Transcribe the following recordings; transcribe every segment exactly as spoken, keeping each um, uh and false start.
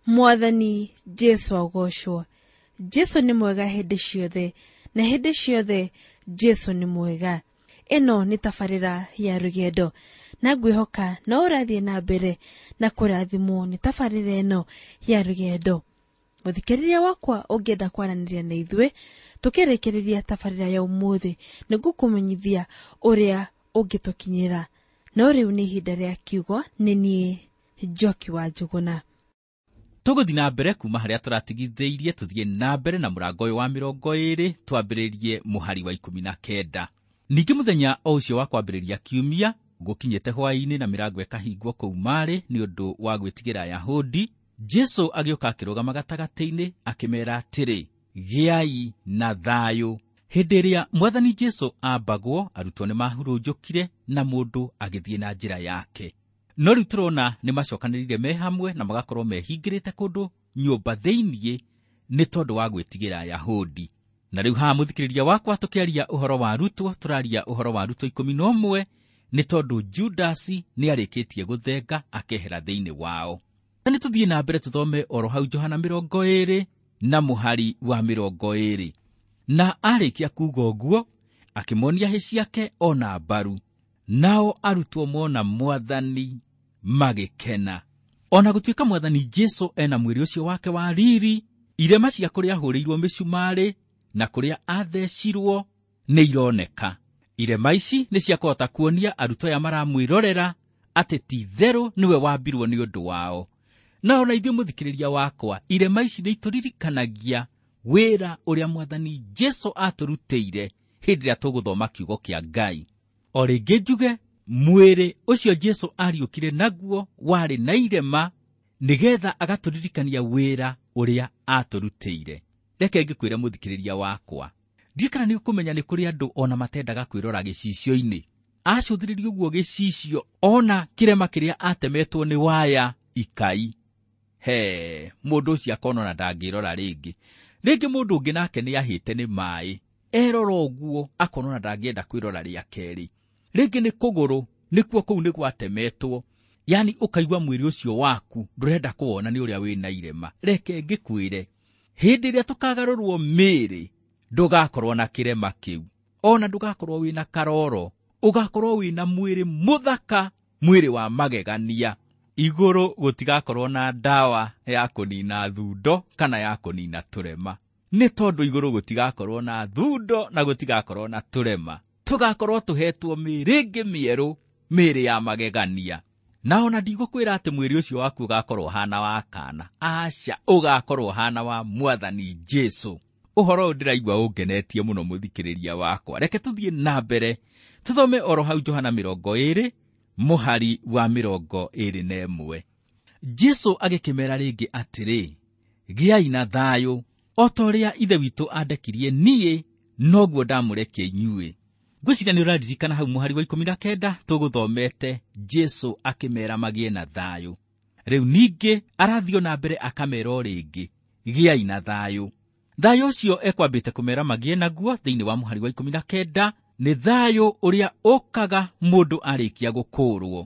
Mwathani Jesu agocwo. Jesu nĩ mwega hĩndĩ ciothe, na hĩndĩ ciothe Jesu nĩ mwega. Ĩno nĩ tabarĩra ya rũgendo, na ngwĩhoka no ũrathiĩ na mbere na kũrathimwo nĩ tabarĩra ĩno ya rũgendo. Mũthikĩrĩria wakwa ũngĩenda kwaranĩria na ithuĩ tũkĩrĩkĩrĩria tabarĩra ya ũmũthĩ, nĩngũkũmenyithia ũrĩa ũngĩtũkinyĩra. No rĩu nĩ ihinda rĩa kiugo, nĩ niĩ Njoki wa Njũgũna. Tũgũthiĩ na mbere kuma harĩa tũratigithĩirie, tũthiĩ na mbere na mũrango ũyũ wa mĩrongo ĩĩrĩ, twambĩrĩrie mũhari wa ikũmi na kenda. Ningĩ mũthenya o ũcio wa kwambĩrĩria kiumia, gũkinyĩte hwaĩ-inĩ na mĩrango ĩkahingwo kũu marĩ nĩ ũndũ wa gwĩtigĩra Ayahudi, Jesu agĩũka akĩrũgama gatagatĩ-inĩ akĩmeera atĩrĩ, gĩai na thayũ. Hĩndĩ ĩrĩa Mwathani Jesu aambagwo, arutwo nĩ mahurunjũkire na mũndũ agĩthiĩ na njĩra yake. No rĩu tũrona nĩ macokanĩrĩire me hamwe na magakorwo mehingĩrĩte kũndũ nyũmba thĩiniĩ nĩ tondũ wa gwĩtigĩra Ayahudi. Na rĩu haha mũthikĩrĩria wakwa tũkĩaria ũhoro wa arutwo, tũraria ũhoro wa arutwo ikũmi na ũmwe nĩ tondũ Judasi nĩ arĩkĩtie gũthenga akehera thĩinĩ wao. Na nĩ tũthiĩ na mbere tũthome oro hau Johana mĩrongo ĩĩrĩ na mũhari wa mĩrongo ĩĩrĩ. Na arĩkia kuuga ũguo, akĩmonia hĩ ciake ona mbaru. Nao arutwo mona Mwathani magĩkena. Ona gũtuĩka Mwathani Jesu ena mwĩrĩ ũcio wake wa riri, irema cia kũrĩa ahũrĩirwo mĩcumarĩ na kũrĩa athecirwo nĩ ironeka. Irema ici nĩ cia kũhota kuonia arutwo aya maramwĩrorera atĩ ti itherũ nĩwe wambirwo nĩ ũndũ wao. Na ona ithuĩ mũthikĩrĩria wakwa, irema ici nĩ itũririkanagia wĩra ũrĩa Mwathani Jesu atũrutĩire hĩndĩ ĩrĩa tũgũthoma kiugo kĩa Ngai. O rĩngĩ njuge, mwĩrĩ ũcio Jesu ariũkire naguo warĩ na irema nĩgetha agatũririkania wĩra ũrĩa atũrutĩire. Reke ngĩkwĩre mũthikĩrĩria wakwa, ndiũĩ kana nĩ ũkũmenya nĩ kũrĩ andũ ona matendaga kwĩrora gĩcicio-inĩ. Acũthĩrĩria ũguo gĩcicio, ona kĩrema kĩrĩa atemetwo nĩ waya ikai. He, mũndũ ũcio akona ona ndangĩrora rĩngĩ. Rĩngĩ mũndũ ũngĩ nake nĩ ahĩte nĩ maĩ, erora ũguo akona ona ndangĩenda kwĩrora rĩa kerĩ. Rĩngĩ nĩ kũgũrũ, nĩkuo kũu nĩ gwatemetwo. Yani ũkaigua mwĩrĩ ũcio waku ndũrenda kũwona nĩ ũrĩa wĩna irema. Reke ngĩkwĩre, hĩndĩ ĩrĩa tũkagarũrwo mĩĩrĩ, ndũgakorwo na kĩrema kĩu, ona ndũgakorwo wĩna karoro, ũgakorwo wĩna mwĩrĩ mũthaka, mwĩrĩ wa magegania. Igũrũ gũtigakorwo na ndawa ya kũnina thundo kana ya kũnina tũrema, nĩ tondũ igũrũ gũtigakorwo na thundo na gũtigakorwo na tũrema. Tũgakorwo tũhetwo mĩĩrĩ ĩngĩ mĩerũ, mĩĩrĩ ya magegania. Na ona ndigũkwĩra atĩ mwĩrĩ ũcio waku ũgakorwo ũhana wa kana, aca, ũgakorwo ũhana wa Mwathani Jesu. Ũhoro ũyũ ndĩraigua ũngenetie mũno mũthikĩrĩria wakwa. Reke tũthiĩ na mbere tũthome oro hau Johana mĩrongo ĩĩrĩ mũhari wa mĩrongo ĩĩrĩ na ĩmwe. Jesu agĩkĩmera rĩngĩ atĩrĩ, gĩai na thayũ, o ta ũrĩa Ithe witũ andekirie niĩ, noguo ndamũrekia inyuĩ. Ngwĩciria nĩ ũraririkana hau mũhari wa ikũmi na kenda tũgũthomete Jesu akĩmera magĩe na thayũ. Rĩu ningĩ arathiĩ na mbere akamera o rĩngĩ, gĩai na thayũ. Thayũ ũcio ekwambĩte kũmera magĩe naguo thĩinĩ wa mũhari wa ikũmi na kenda nĩ thayũ ũrĩa ũkaga mũndũ arĩkia gũkũũrwo.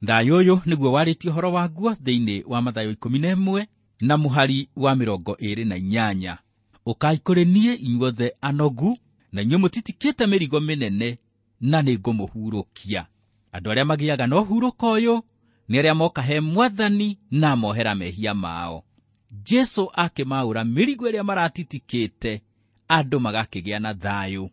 Thayũ ũyũ nĩguo warĩtie ũhoro waguo thĩinĩ wa Mathayo ikũmi na ĩmwe na mũhari wa mĩrongo ĩĩrĩ na inyanya. Ũkai kũrĩ niĩ inyuothe anogu na inyuĩ mũtitikĩte mĩrigo mĩnene, na nĩngũmũhurũkia. Andũ arĩa magĩaga na ũhurũko ũyũ nĩ arĩa moka he Mwathani na mohera mehia mao. Jesu akĩmaũra mĩrigo ĩrĩa maratitikĩte, andũ magakĩgĩa na thayũ.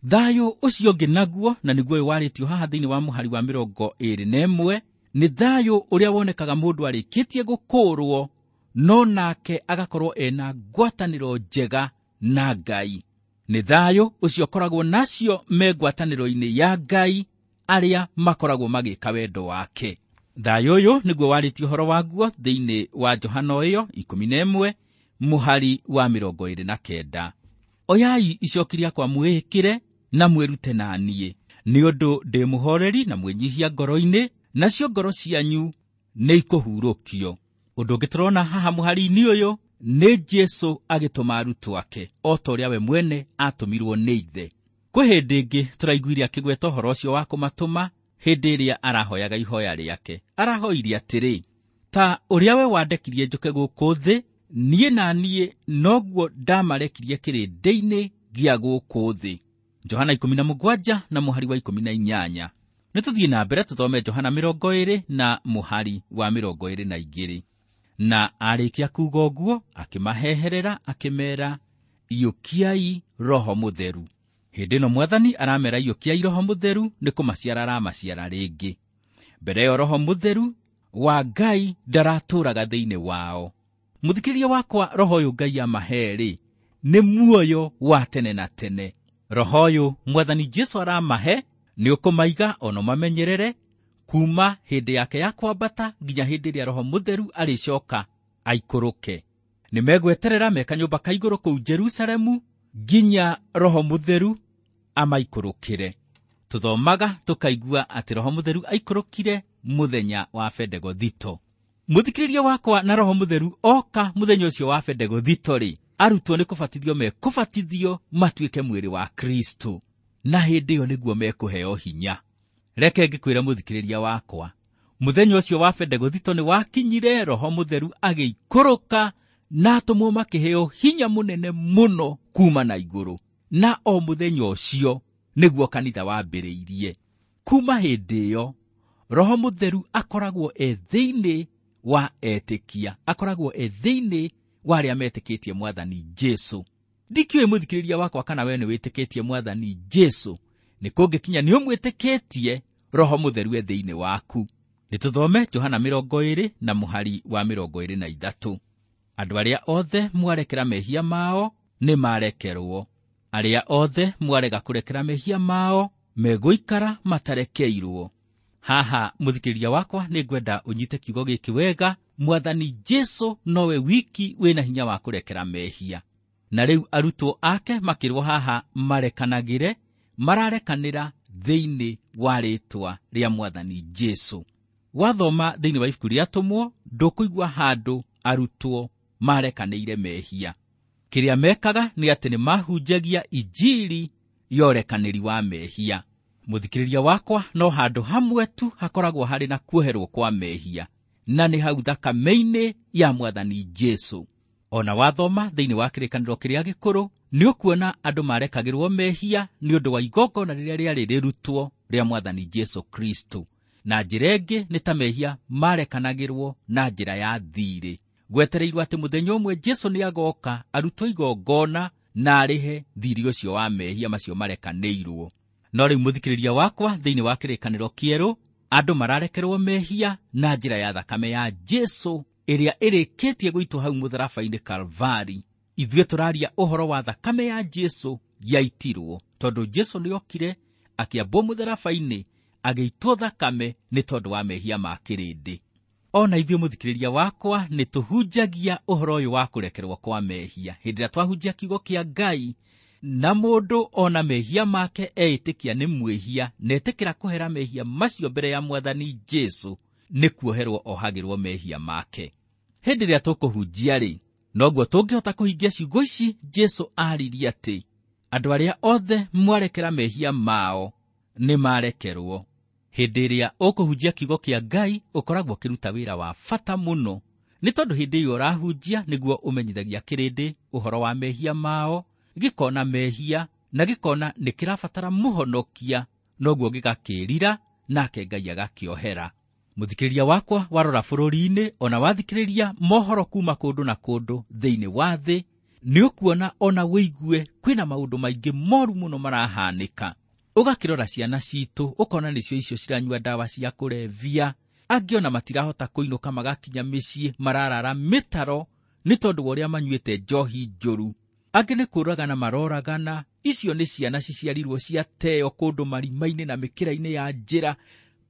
Thayũ ũcio ũngĩ naguo, na nĩguo ũyũ warĩtio haha thĩinĩ wa mũhari wa mĩrongo ĩĩrĩ na ĩmwe, nĩ thayũ ũrĩa wonekaga mũndũ arĩkĩtie gũkũũrwo, no nake agakorwo ena ngwatanĩro njega na Ngai. Nĩ thayũ ũcio ũkoragwo nacio me ngwatanĩro-inĩ ya Ngai arĩa makoragwo magĩka wendo wake. Thayũ ũyũ nĩguo warĩtio ũhoro waguo thĩinĩ wa Johana ĩyo ikũmi na ĩmwe mũhari wa mĩrongo ĩĩrĩ na kenda. Oyai icoki rĩakwa mwĩĩkĩre na mwĩrute na niĩ, nĩ ũndũ ndĩ mũhoreri na mwĩnyihia ngoro-inĩ, nacio ngoro cianyu nĩ ikũhurũkio. Ũndũ ũngĩ tũrona haha mũhari-inĩ ũyũ nĩ Jesu agĩtũma arutwo ake o ta ũrĩa we mwene atũmirwo nĩ Ithe. Kwĩ hĩndĩ ĩngĩ tũraiguire akĩgweta ũhoro ũcio wa kũmatũma hĩndĩ ĩrĩa arahoyaga ihoya rĩake. Arahoire atĩrĩ, ta ũrĩa we wandekirie njũke gũkũ thĩ, niĩ na niĩ noguo ndamarekirie kĩrĩndĩ-inĩ gĩa gũkũ thĩ. Johana ikũmi na mũgwanja na mũhari wa ikũmi na inyanya. Nĩ tũthiĩ na mbere tũthome Johana mĩrongo ĩrĩ na mũhari wa mĩrongo ĩrĩ na igĩrĩ. Na arĩkia kuuga ũguo, akĩmaheherera akĩmeera, iyũkiai Roho Mũtheru. Hĩndĩ ĩno Mwathani aramera iyũkiai Roho Mũtheru nĩ kũmaciara aramaciara rĩngĩ. Mbere ĩyo Roho Mũtheru wa Ngai ndaratũũraga thĩinĩ wao. Mũthikĩrĩria wakwa, Roho ũyũ Ngai amahe-rĩ, nĩ muoyo wa tene na tene. Roho ũyũ Mwathani Jesũ aramahe nĩ ũkũmaiga ona mamenyerere kuma hĩndĩ yake ya kwambata nginya hĩndĩ ĩrĩa Roho Mũtheru arĩcoka aikũrũke. Nĩ megweterera me kanyũmba ka igũrũ kũu Jerusalemu nginya Roho Mũtheru amaikũrũkĩre. Tũthomaga tũkaigua atĩ Roho Mũtheru aikũrũkire mũthenya wa Bendegothito. Mũthikĩrĩria wakwa, na Roho Mũtheru oka mũthenya ũcio wa Bendegothito-rĩ, arutwo nĩ kũbatithio mekũbatithio matuĩke mwĩrĩ wa Kristo, na hĩndĩ ĩyo nĩguo mekũheo hinya. Reke ngĩkwĩre mũthikĩrĩria wakwa, mũthenya ũcio wa Bendegothito nĩ wakinyire, Roho Mũtheru agĩikũrũka na atũmwo makĩheo hinya mũnene mũno kuma na igũrũ. Na o mũthenya ũcio nĩguo kanitha wambĩrĩirie. Kuma hĩndĩ ĩyo Roho Mũtheru akoragwo e thĩinĩ wa etĩkia, akoragwo e thĩinĩ wa arĩa metĩkĩtie Mwathani Jesũ. Ndikĩũĩ mũthikĩrĩria wakwa kana we nĩ wĩtĩkĩtie Mwathani Jesũ. Nĩ kũngĩkinya nĩ ũmwĩtĩkĩtie, Roho Mũtheru e thĩinĩ waku. Nĩ tũthome Johana mĩrongo ĩrĩ na mũhari wa mĩrongo ĩrĩ na ithatũ. Andũ arĩa othe mwarekera mehia mao nĩ marekerwo, arĩa othe mwarega kũrekera mehia mao megũikara matarekeirwo. Haha mũthikĩrĩria wakwa, nĩ ngwenda ũnyite kiugo gĩkĩ wega. Mwathani Jesũ nowe wiki wĩna hinya wa kũrekera mehia. Na rĩu arutwo ake makĩrwo haha marekanagĩre, mararekanĩra thĩinĩ wa rĩtwa rĩa Mwathani Jesũ. Wathoma thĩinĩ wa ibuku rĩa Atũmwo, ndũkũigua handũ arutwo marekanĩire mehia. Kĩrĩa mekaga nĩ atĩ nĩ mahunjagia injiri ya ũrekanĩri wa mehia. Mũthikĩrĩria wakwa, no handũ hamwe tu hakoragwo harĩ na kuoherwo kwa mehia, na nĩ hau thakame-inĩ ya Mwathani Jesũ. Ona wathoma thĩinĩ wa kĩrĩkanĩro kĩrĩa gĩkũrũ, nĩ ũkuona andũ marekagĩrwo mehia nĩ ũndũ wa igongona rĩrĩa rĩarĩ rĩrutwo rĩa Mwathani Jesũ Kristo. Na njĩra ĩngĩ nĩ ta mehia marekanagĩrwo na njĩra ya thirĩ. Gwetereirwo atĩ mũthenya ũmwe Jesũ nĩ agoka arutwo igongona na arĩhe thirĩ ũcio wa mehia macio marekanĩirwo. No rĩu mũthikĩrĩria wakwa, thĩinĩ wa kĩrĩkanĩro kĩerũ, andũ mararekerwo mehia na njĩra ya thakame ya Jesũ ĩrĩa ĩrĩkĩtie gũitwo hau mũtharaba-inĩ Kalvari. Ithuĩ tũraria ũhoro wa thakame ya Jesũ yaitirwo, tondũ Jesũ nĩokire akĩambwo mũtharaba-inĩ agĩitwo thakame nĩ tondũ wa mehia ma kĩrĩndĩ. Ona ithuĩ mũthikĩrĩria wakwa, nĩ tũhunjagia ũhoro ũyũ wa kũrekerwo kwa mehia. Hĩndĩ ĩrĩa twahunjia kiugo kĩa Ngai, na mũndũ ona mehia make eĩtĩkia nĩ mwĩhia, na etĩkĩra kũhera mehia macio mbere ya Mwathani Jesũ, nĩ kuoherwo ohagĩrwo mehia make. Hĩndĩ ĩrĩa tũkũhunjia-rĩ, noguo tũngĩhota kũhingia ciugo ici Jesũ aaririe atĩ andũ arĩa othe mwarekera mehia mao nĩ marekerwo. Hĩndĩ ĩrĩa ũkũhunjia kiugo kĩa Ngai, ũkoragwo ũkĩruta wĩra wa bata mũno, nĩ tondũ hĩndĩ ĩyo ũrahunjia nĩguo ũmenyithagia kĩrĩndĩ ũhoro wa mehia mao, gĩkona mehia na gĩkona nĩ kĩrabatara mũhonokia, noguo gĩgakĩĩrira nake Ngai agakĩohera. Mũthikĩrĩria wakwa, warora bũrũri-inĩ ona wathikĩrĩria mohoro kuma kũndũ na kũndũ thĩinĩ wa thĩ, nĩ ũkuona ona wĩigue kwĩna maũndũ maingĩ moru mũno marahanĩka. Ũgakĩrora ciana citũ, ũkona nĩcio icio ciranyua ndawa cia kũrebia, angĩ ona matirahota kũinũka magakinya mĩciĩ, mararara mĩtaro nĩ tondũ wa ũrĩa manyuĩte njohi njũru. Angĩ nĩ kũragana maroragana, icio nĩ ciana ciciarirwo ciateo kũndũ marima-inĩ na mĩkĩra-inĩ ya njĩra.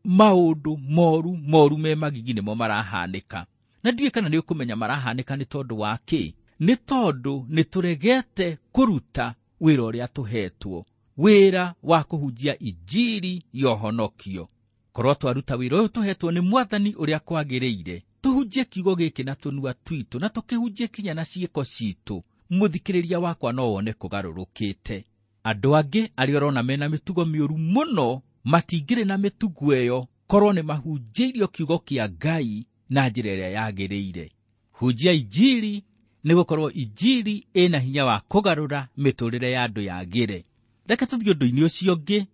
Maũndũ moru moru me magigi nĩmo marahanĩka. Na ndiũĩ kana nĩ ũkũmenya marahanĩka nĩ tondũ wa kĩ? Nĩ tondũ nĩ tũregete kũruta wĩra ũrĩa tũhetwo, wĩra wa kũhunjia injiri ya ũhonokio. Korwo twaruta wĩra ũyũ tũhetwo nĩ Mwathani ũrĩa kwagĩrĩire, tũhunjie kiugo gĩkĩ na tũnua twitũ, na tũkĩhunjie kinya na ciĩko citũ, mũthikĩrĩria wakwa no wone kũgarũrũkĩte. Andũ angĩ arĩa ũrona mena mĩtugo mĩũru mũno matingĩrĩ na mĩtugo ĩyo korwo nĩ mahunjĩirio kiugo kĩa Ngai na njĩra ĩrĩa yagĩrĩire. Hunjia injiri, nĩ gũkorwo injiri ĩna hinya wa kũgarũra mĩtũrĩre ya andũ yagĩre. Reke tũthiĩ ũndũ-inĩ ũcio ũngĩ,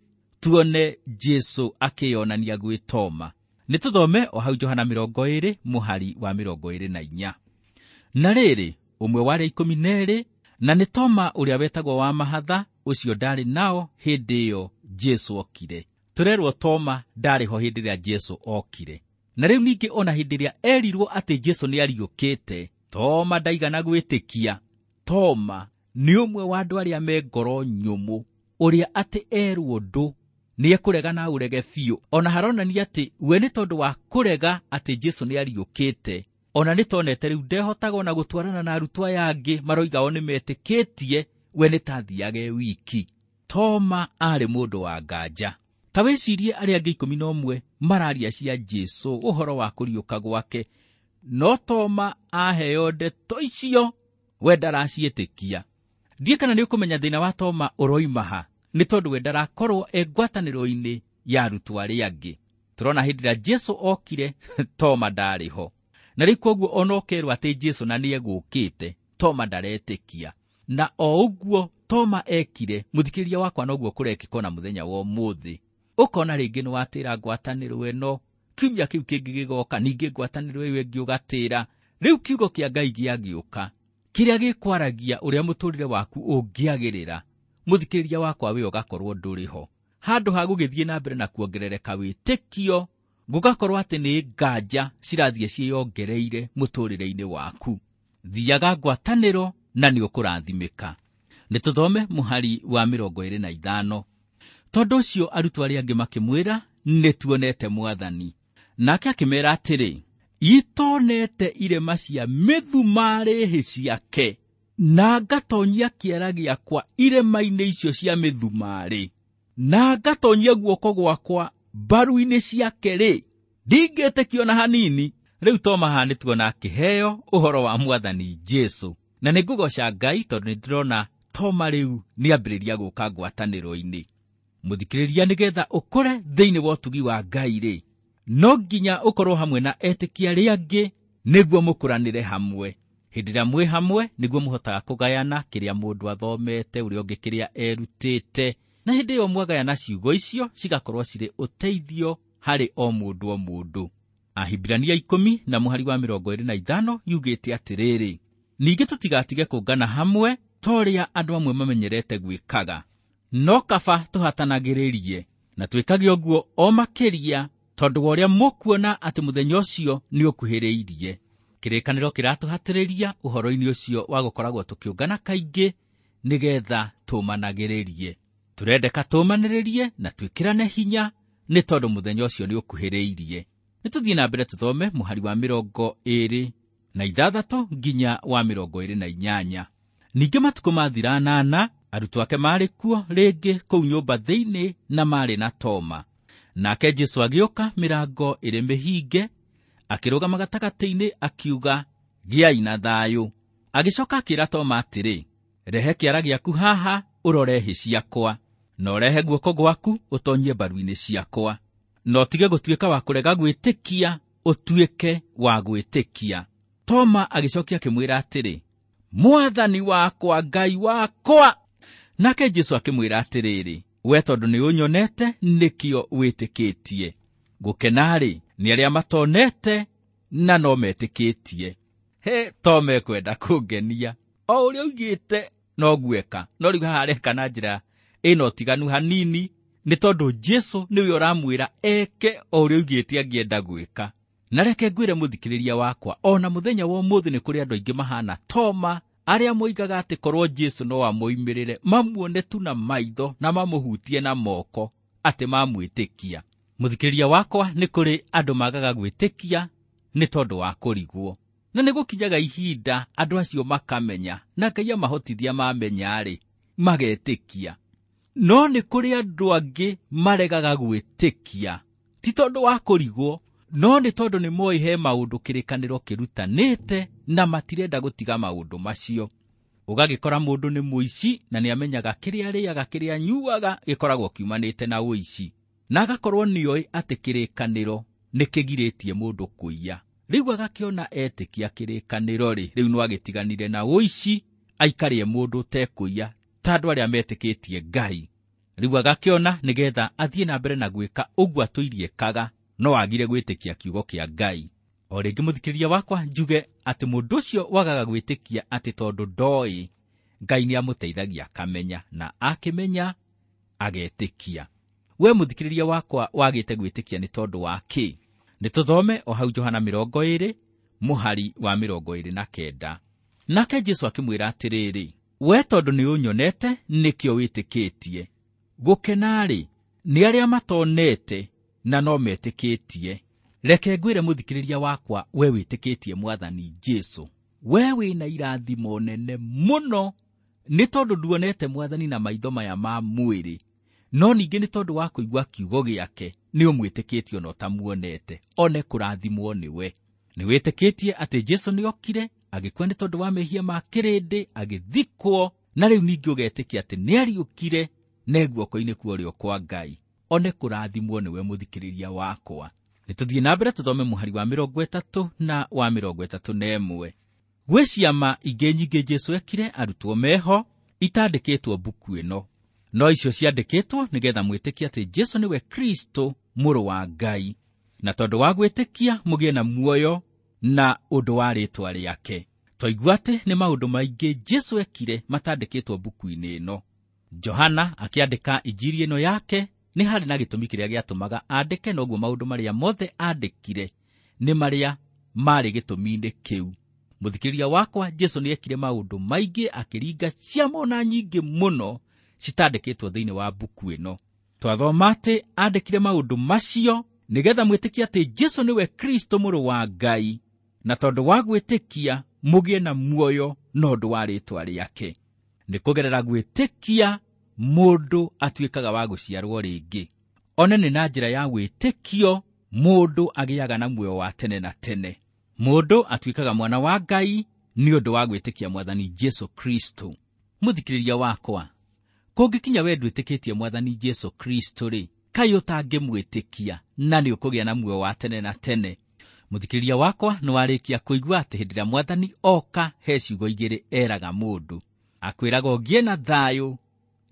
tuone Jesũ akĩyonania gwĩ Toma. Nĩ tũthome o hau Johana mĩrongo ĩĩrĩ mũhari wa mĩrongo ĩĩrĩ na inya. Na rĩrĩ, ũmwe wa arĩa ikũmi na erĩ, na nĩ Toma ũrĩa wetagwo wa mahatha, ũcio ndarĩ nao hĩndĩ ĩyo Jesũ okire. Tũrerwo Toma ndarĩ ho hĩndĩ ĩrĩa Jesũ okire. Na rĩu ningĩ ona hĩndĩ ĩrĩa erirwo atĩ Jesũ nĩariũkĩte, Toma ndaigana gwĩtĩkia. Toma nĩ ũmwe wa andũ arĩa me ngoro nyũmũ, ũrĩa atĩ erwo ũndũ nĩekũrega na aũrege biũ. Ona haronania atĩ we nĩ tondũ wa kũrega atĩ Jesũ nĩariũkĩte, ona nĩ tonete rĩu ndehotaga ona gũtwarana na arutwo aya angĩ maroiga o nĩmetĩkĩtie, we nĩ ta athiaga e wiki. Toma aarĩ mũndũ wa nganja. Ta wĩcirie arĩa angĩ ikũmi na ũmwe mararia cia Jesũ ũhoro wa kũriũka gwake, no Toma aheo ndeto icio we ndaraciĩtĩkia. Ndiĩ kana nĩũkũmenya thĩna wa Toma ũroima ha, nĩ tondũ we ndarakorwo e ngwatanĩro-inĩ ya arutwo arĩa angĩ. Tũrona hĩndĩ ĩrĩa Jesũ okire, Toma ndarĩ ho. Na rĩu koguo ona ũkerwo atĩ Jesũ na nĩegũkĩte, Toma ndaretĩkia. Na o ũguo Toma ekire, mũthikĩrĩria wakwa noguo kũrekĩka ona mũthenya wa ũmũthĩ. Ũkona rĩngĩ nĩwatĩra ngwatanĩro ĩno, kiumia kĩu kĩngĩ gĩgoka, ningĩ ngwatanĩro ĩyo ĩngĩ ũgatĩra. Rĩu kiugo kĩa Ngai gĩagĩũka, kĩrĩa gĩkwaragia ũrĩa mũtũrĩre waku ũngĩagĩrĩra, mũthikĩrĩria wakwa we ũgakorwo ndũrĩ ho. Handũ ha gũgĩthiĩ na mbere na kuongerereka wĩtĩkio, gũgakorwo atĩ nĩ nganja cirathiĩ ciĩyongereire mũtũrĩre-inĩ waku. Thiaga ngwatanĩro na nĩ ũkũrathimĩka. Nĩ tũthome mũhari wa mĩrongo ĩĩrĩ na ithano. Tondũ ũcio arutwo arĩa angĩ makĩmwĩra, nĩ tuonete Mwathani. Nake akĩmeera atĩrĩ, itonete irema cia mĩthumarĩ hĩ ciake, na ngatonyia kĩara gĩakwa irema-inĩ icio cia mĩthumarĩ, na ngatonyia guoko gwakwa mbaru-inĩ ciake rĩ, ndingĩtĩkio ona hanini. Rĩu Toma haha nĩ tuona akĩheo ũhoro wa Mwathani Jesũ. Na nĩ ngũgoca Ngai tondũ nĩ ndĩrona Toma rĩu nĩambĩrĩria gũka ngwatanĩro-inĩ. Mũthikĩrĩria, nĩgetha ũkũre thĩinĩ wa ũtugi wa Ngai rĩ, no nginya ũkorwo hamwe na etĩkia arĩa angĩ nĩguo mũkũranĩre hamwe. Hĩndĩ ĩrĩa mwĩ hamwe nĩguo mũhotaga kũgayana kĩrĩa mũndũ athomete, ũrĩa ũngĩ kĩrĩa erutĩte, na hĩndĩ ĩyo mwagayana ciugo icio cigakorwo cirĩ ũteithio harĩ o mũndũ o mũndũ. Ahibirania ikũmi na mũhari wa mĩrongo ĩĩrĩ na ithano yugĩte atĩrĩrĩ, ningĩ tũtigatige kũngana hamwe ta ũrĩa andũ amwe mamenyerete gwĩkaga, no kaba tũhatanagĩrĩrie, na twĩkage ũguo o makĩria tondũ wa ũrĩa mũkuona atĩ mũthenya ũcio nĩũkuhĩrĩirie. Kĩrĩkanĩro kĩratũhatĩrĩria ũhoro-inĩ ũcio wa gũkoragwo tũkĩũngana kaingĩ nĩgetha tũmanagĩrĩrie. Tũrendeka tũmanĩrĩrie na twĩkĩrane hinya nĩ tondũ mũthenya ũcio nĩũkuhĩrĩirie. Nĩ tũthiĩ na mbere tũthome mũhari wa mĩrongo ĩĩrĩ na ithathatũ nginya wa mĩrongo ĩĩrĩ na inyanya. Ningĩ matukũ mathira anana, arutwo ake maarĩ kuo rĩngĩ kũu nyũmba thĩinĩ na maarĩ na Toma. Nake Jesũ agĩũka mĩrango ĩrĩ mĩhinge, akĩrũgama gatagatĩ-inĩ akiuga, gĩai na thayũ. Agĩcoka akĩĩra Toma atĩrĩ, rehe kĩara gĩaku haha ũrore hĩ ciakwa, na ũrehe guoko gwaku ũtonyie mbaru-inĩ ciakwa, na ũtige gũtuĩka wa kũrega gwĩtĩkia, ũtuĩke wa gwĩtĩkia. Toma agĩcokia akĩmwĩra atĩrĩ, Mwathani wakwa, Ngai wakwa. Nake Jesũ akĩmwĩra atĩrĩrĩ, we tondũ nĩ ũnyonete nĩkĩo wĩtĩkĩtie. Gũkena-rĩ, nĩ arĩa matonete na no metĩkĩtie. He, Toma ekwenda kũngenia. O ũrĩa oigĩte no gweka, no rĩu haha areka na njĩra ĩna ũtiganu hanini, nĩ tondũ Jesũ nĩwe ũramwĩra eke o ũrĩa oigĩte angĩenda gwĩka. Na reke ngwĩre mũthikĩrĩria wakwa, ona mũthenya wa ũmũthĩ nĩ kũrĩ andũ aingĩ mahana Toma, arĩa moigaga atĩ korwo Jesũ no amoimĩrĩre, mamuone tu na maitho na mamũhutie na moko, atĩ mamwĩtĩkia. Mũthikĩrĩria wakwa, nĩ kũrĩ andũ magaga gwĩtĩkia nĩ tondũ wa kũrigwo. Na nĩ gũkinyaga ihinda andũ acio makamenya, na Ngai amahotithia mamenya-rĩ, magetĩkia. No nĩ kũrĩ andũ angĩ maregaga gwĩtĩkia, ti tondũ wa kũrigwo, no nĩ tondũ nĩ moĩ he maũndũ kĩrĩkanĩro kĩrutanĩte na matirenda gũtiga maũndũ macio. Ũgagĩkora mũndũ nĩ mũici na nĩamenyaga kĩrĩa arĩaga, kĩrĩa anyuaga gĩkoragwo kiumanĩte na ũici, na agakorwo nĩoĩ atĩ kĩrĩkanĩro nĩ kĩgirĩtie mũndũ kũiya. Rĩu agakĩona etĩkia kĩrĩkanĩro rĩ, rĩu no agĩtiganire na ũici, aikarie mũndũ ũtekũiya ta andũ arĩa metĩkĩtie Ngai. Rĩu agakĩona nĩgetha athiĩ na mbere na gwĩka ũguo atũirie kaga, no agire gwĩtĩkia kiugo kĩa Ngai. O rĩngĩ mũthikĩrĩria wakwa njuge atĩ mũndũ ũcio wagaga gwĩtĩkia atĩ tondũ ndoĩ, Ngai nĩamũteithagia akamenya, na akĩmenya agetĩkia. We mũthikĩrĩria wakwa wagĩte gwĩtĩkia nĩ tondũ wa kĩ? Nĩ tũthome o hau Johana mĩrongo ĩrĩ mũhari wa mĩrongo ĩrĩ na kenda. Nake Jesũ akĩmwĩra atĩrĩrĩ, we tondũ nĩ ũnyonete nĩkĩo wĩtĩkĩtie. Gũkena-rĩ nĩ arĩa matonete na no metĩkĩtie. Reke ngwĩre mũthikĩrĩria wakwa, we wĩtĩkĩtie Mwathani Jesũ, we wĩna irathimo nene mũno, nĩ tondũ nduonete Mwathani na maitho maya ma mwĩrĩ, no ningĩ nĩ tondũ wa kũigua kiugo gĩake nĩ ũmwĩtĩkĩtie ona ũtamuonete, one kũrathimwo nĩwe. Nĩ wĩtĩkĩtie atĩ Jesũ nĩokire agĩkua nĩ tondũ wa mehia ma kĩrĩndĩ, agĩthikwo, na rĩu ningĩ ũgetĩkia atĩ nĩariũkire ne guoko-inĩ kwa ũrĩo kwa Ngai, one kũrathimwo nĩwe mũthikĩrĩria wakwa. Nĩ tũthiĩ na mbere tũthome mũhari wa mĩrongo ĩtatũ na wa mĩrongo ĩtatũ na ĩmwe. Gwĩ ciama ingĩ nyingĩ Jesũ ekire arutwo meho itandĩkĩtwo mbuku ĩno, no icio ciandĩkĩtwo nĩgetha mwĩtĩkie atĩ Jesũ nĩwe Kristo mũrũ wa Ngai, na tondũ wa gwĩtĩkia mũgĩe na muoyo na ũndũ wa rĩĩtwa rĩake. Twaigua atĩ nĩ maũndũ maingĩ Jesũ ekire matandĩkĩtwo mbuku-inĩ ĩno. Johana akĩandĩka injiri ĩno yake nĩ harĩ na gĩtũmi kĩrĩa gĩatũmaga andĩke, noguo maũndũ marĩa mothe andĩkire nĩ marĩa marĩ gĩtũmi-inĩ kĩu. Mũthikĩrĩria wakwa, Jesũ nĩekire maũndũ maingĩ, akĩringa ciama ona nyingĩ mũno citandĩkĩtwo thĩinĩ wa mbuku ĩno. Twathoma atĩ andĩkire maũndũ macio nĩgetha mwĩtĩkie atĩ Jesũ nĩwe Kristo mũrũ wa Ngai, na tondũ wa gwĩtĩkia mũgĩe na muoyo na ũndũ wa rĩĩtwa rĩake. Nĩ kũgerera gwĩtĩkia mũndũ atuĩkaga wa gũciarwo rĩngĩ. One nĩ na njĩra ya wĩtĩkio mũndũ agĩaga na muoyo wa tene na tene. Mũndũ atuĩkaga mwana wa Ngai nĩ ũndũ wa gwĩtĩkia Mwathani Jesũ Kristo. Mũthikĩrĩria wakwa, kũngĩkinya we ndwĩtĩkĩtie Mwathani Jesũ Kristo rĩ, kaĩ ũtangĩmwĩtĩkia na nĩ ũkũgĩa na muoyo wa tene na tene? Mũthikĩrĩria wakwa, nĩ warĩkia kũigua atĩ hĩndĩ ĩrĩa Mwathani oka he ciugo igĩrĩ eraga mũndũ. Akwĩraga ũgĩe na thayũ,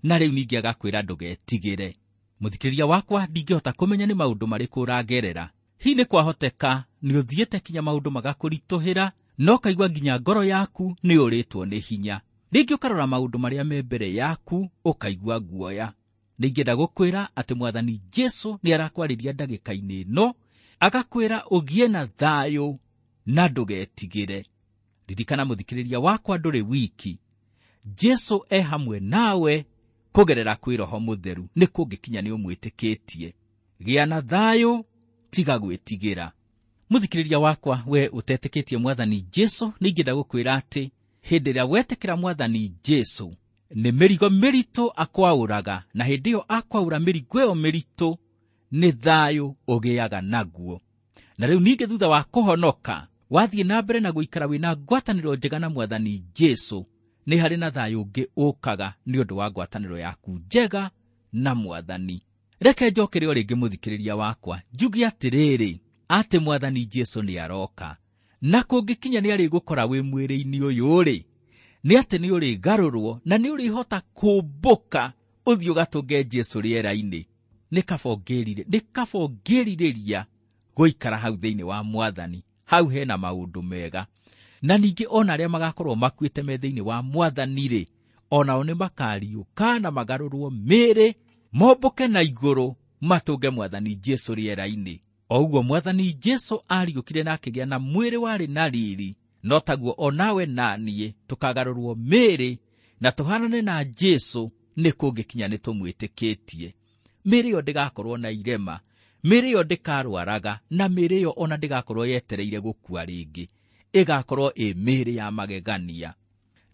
na rĩu ningĩ agakwĩra ndũgetigĩre. Mũthikĩrĩria wakwa, ndingĩhota kũmenya nĩ maũndũ marĩkũ ũragerera. Hihi nĩ kwahoteka nĩ ũthiĩte kinya maũndũ magakũritũhĩra, no ũkaigua nginya ngoro yaku nĩ ũrĩtwo nĩ hinya. Rĩngĩ ũkarora maũndũ marĩa me mbere yaku ũkaigua guoya. Nĩingĩenda gũkwĩra atĩ Mwathani Jesũ nĩ arakwarĩria ndagĩka-inĩ ĩno, agakwĩra ũgĩe na thayũ na ndũgetigĩre. Ririkana mũthikĩrĩria wakwa, ndũrĩ wiki. Jesũ e hamwe nawe kũgerera kwĩ Roho Mũtheru, nĩ kũngĩkinya nĩ ũmwĩtĩkĩtie. Gĩa na thayũ, tiga gwĩtigĩra. Mũthikĩrĩria wakwa, we ũtetĩkĩtie Mwathani Jesũ, nĩingĩenda gũkwĩra atĩ hĩndĩ ĩrĩa wetĩkĩra Mwathani Jesũ, nĩ mĩrigo mĩritũ akwaũraga, na hĩndĩ ĩyo akwaũra mĩrigo ĩyo mĩritũ nĩ thayũ ũgĩaga naguo. Na rĩu ningĩ thutha wa kũhonoka, wathiĩ na mbere na gũikara wĩna ngwatanĩro njega na Mwathani Jesũ, nĩ harĩ na thayũ ũngĩ ũkaga nĩ ũndũ wa ngwatanĩro yaku njega na Mwathani. Reke njokere o rĩngĩ mũthikĩrĩria wakwa, njuge atĩrĩrĩ, atĩ Mwathani Jesũ nĩ aroka, na kũngĩkinya nĩ arĩgũkora wĩ mwĩrĩ-inĩ ũyũ rĩ, nĩ atĩ nĩ ũrĩgarũrwo na nĩ ũrĩhota kũmbũka ũthiĩ ũgatũnge Jesũ rĩera-inĩ. Nĩ kaba ũngĩrirĩ-, nĩ kaba ũngĩrirĩria gũikara hau thĩinĩ wa Mwathani. Hau hena maũndũ mega. Na ningĩ ona arĩa magakorwo makuĩte me thĩinĩ wa Mwathani rĩ, onao nĩ makariũka na magarũrwo mĩĩrĩ, mombũke na igũrũ matũnge Mwathani Jesũ rĩera-inĩ. O ũguo Mwathani Jesũ ariũkire na akĩgĩa na mwĩrĩ warĩ na riri, no taguo onawe na niĩ tũkagarũrwo mĩĩrĩ na tũhanane na Jesũ, nĩ kũngĩkinya nĩ tũmwĩtĩkĩtie. Mĩĩrĩ ĩyo ndĩgakorwo na irema, mĩĩrĩ ĩyo ndĩkarwaraga, na mĩĩrĩ ĩyo ona ndĩgakorwo yetereire gũkua rĩngĩ. Ĩgakorwo ĩ mĩĩrĩ ya magegania.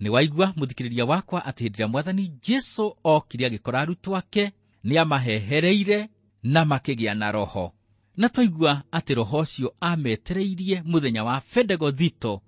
Nĩ waigua mũthikĩrĩria wakwa atĩ hĩndĩ ĩrĩa Mwathani Jesũ okire agĩkora arutwo ake, nĩ amahehereire na makĩgĩa na Roho. Na twaigua atĩ Roho ũcio ametereirie mũthenya wa Bendegothito,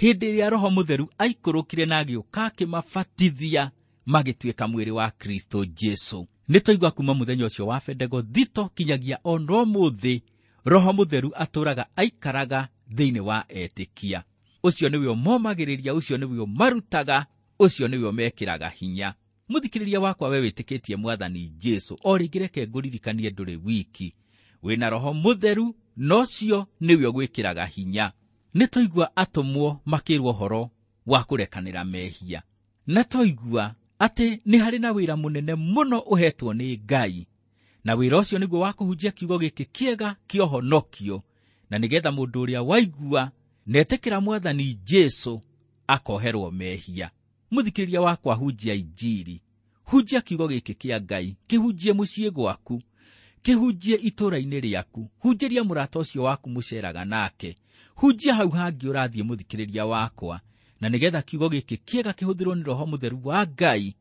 hĩndĩ ĩrĩa Roho Mũtheru aikũrũkire na agĩũka akĩmabatithia magĩtuĩka mwĩrĩ wa Kristo Jesũ. Nĩ twaigua kuma mũthenya ũcio wa Bendegothito kinyagia ona ũmũthĩ, Roho Mũtheru atũũraga aikaraga thĩinĩ wa etĩkia. Ũcio nĩwe ũmomagĩrĩria, ũcio nĩwe ũmarutaga, ũcio nĩwe ũmekĩraga hinya. Mũthikĩrĩria wakwa, we wĩtĩkĩtie Mwathani Jesũ, o rĩngĩ reke ngũririkanie ndũrĩ wiki, wĩna Roho Mũtheru, na ũcio nĩwe ũgwĩkĩraga hinya. Nĩ twaigua atũmwo makĩrwo ũhoro wa kũrekanĩra mehia, na twaigua atĩ nĩ harĩ na wĩra mũnene mũno ũhetwo nĩ Ngai, na wĩra ũcio nĩguo wa kũhunjia kiugo gĩkĩ kĩega kĩa ũhonokio, na nĩgetha mũndũ ũrĩa waigua na etĩkĩra Mwathani Jesũ akoherwo mehia. Mũthikĩrĩria wakwa, hunjia injiri, hunjia kiugo gĩkĩ kĩa Ngai, kĩhunjie mũciĩ gwaku, kĩhunjie itũũra-inĩ rĩaku, hunjĩria mũrata ũcio waku mũceraga nake, hunjia hau hangĩ ũrathiĩ mũthikĩrĩria wakwa, na nĩgetha kiugo gĩkĩ kĩega kĩhũthĩrwo nĩ Roho Mũtheru wa Ngai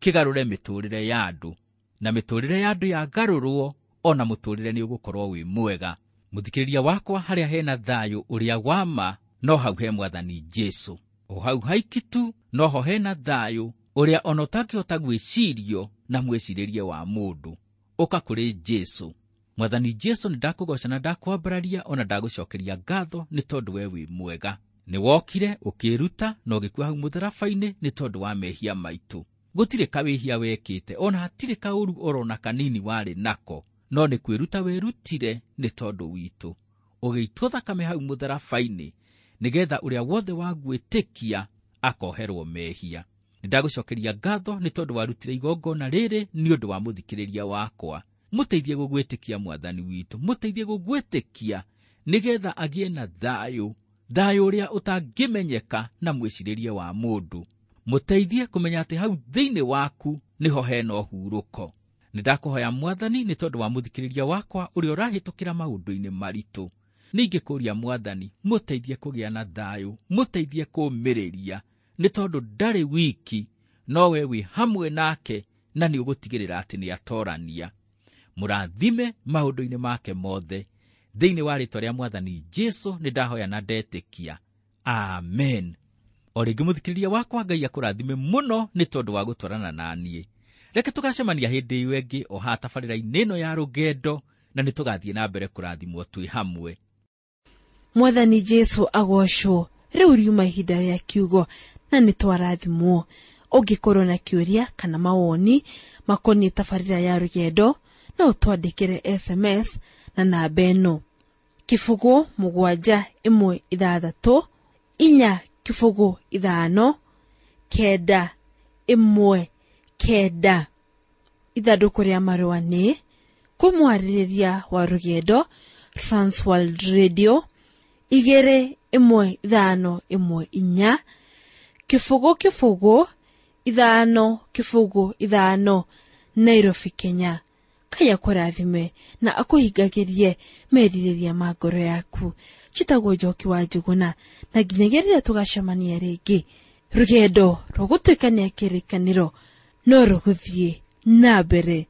kĩgarũre mĩtũũrĩre ya andũ, na mĩtũũrĩre ya andũ yagarũrwo, ona mũtũũrĩre nĩ ũgũkorwo wĩ mwega. Mũthikĩrĩria wakwa, harĩa hena thayũ ũrĩa wa ma, no hau he Mwathani Jesũ. O hau haiki tu noho hena thayũ ũrĩa ona ũtangĩhota gwĩcirio na mwĩcirĩrie wa mũndũ. Ũka kũrĩ Jesũ. Mwathani Jesũ, nĩ ndakũgoca na ndakwambararia, ona ndagũcokeria ngatho nĩ tondũ we wĩ mwega. Nĩ wokire ũkĩĩruta na ũgĩkua hau mũtharaba-inĩ nĩ tondũ wa mehia maitũ. Gũtirĩ kawĩhia wekĩte, ona hatirĩ kaũru orona kanini warĩ nako, no nĩ kwĩruta werutire nĩ tondũ witũ. Ũgĩitwo thakame hau mũtharaba-inĩ nĩgetha ũrĩa wothe wagwĩtĩkia akoherwo mehia. Nĩ ndagũcokeria ngatho nĩ tondũ warutire igongona rĩrĩ nĩ ũndũ wa mũthikĩrĩria wakwa. Mũteithie gũgwĩtĩkia Mwathani witũ, mũteithie gũgwĩtĩkia nĩgetha agĩe na thayũ, thayũ ũrĩa ũtangĩmenyeka na mwĩcirĩrie wa mũndũ. Mũteithie kũmenya atĩ hau thĩinĩ waku nĩho hena ũhurũko. Nĩ ndakũhoya Mwathani nĩ tondũ wa mũthikĩrĩria wakwa ũrĩa ũrahĩtũkĩra maũndũ-inĩ maritũ. Ningĩ kũria Mwathani mũteithie kũgĩa na thayũ, mũteithie kũũmĩrĩria, nĩ tondũ ndarĩ wiki, no we wĩ hamwe nake na nĩ ũgũtigĩrĩra atĩ nĩ atorania. Mũrathime maũndũ-inĩ make mothe. Thĩinĩ wa rĩĩtwa rĩa Mwathani Jesũ nĩ ndahoya na ndetĩkia. Amen. O rĩngĩ mũthikĩrĩria wakwa, Ngai akũrathime mũno nĩ tondũ wa gũtwarana na niĩ. Reke tũgacemania hĩndĩ ĩyo ĩngĩ o haha tabarĩra-inĩ ĩno ya rũgendo, na nĩ tũgathiĩ na mbere kũrathimwo twĩ hamwe. Mwathani Jesũ agocwo. Rĩu riuma ihinda rĩa kiugo na nĩ twarathimwo. Ũngĩkorwo na kĩũria kana mawoni makoniĩ tabarĩra ya rũgendo, no ũtwandĩkĩre S M S na namba ĩno: kĩbũgũ mũgwanja ĩmwe ithathatũ inya kĩbũgũ ithano kenda ĩmwe kenda. Ithandũkũ rĩa marũa nĩ kwĩ mwarĩrĩria wa rũgendo, Transworld Radio igĩrĩ ĩmwe ithano ĩmwe inya kĩbũgũ kĩbũgũ ithano kĩbũgũ ithano, Nairobi, Kenya. Ngai akũrathime na akũhingagĩrie merirĩria ma ngoro yaku. Njĩtagwo Njoki wa Njũgũna, na nginyagia rĩrĩa tũgacemania rĩngĩ, rũgendo rwa gũtuĩkania kĩrĩkanĩro no rũgũthiĩ na mbere.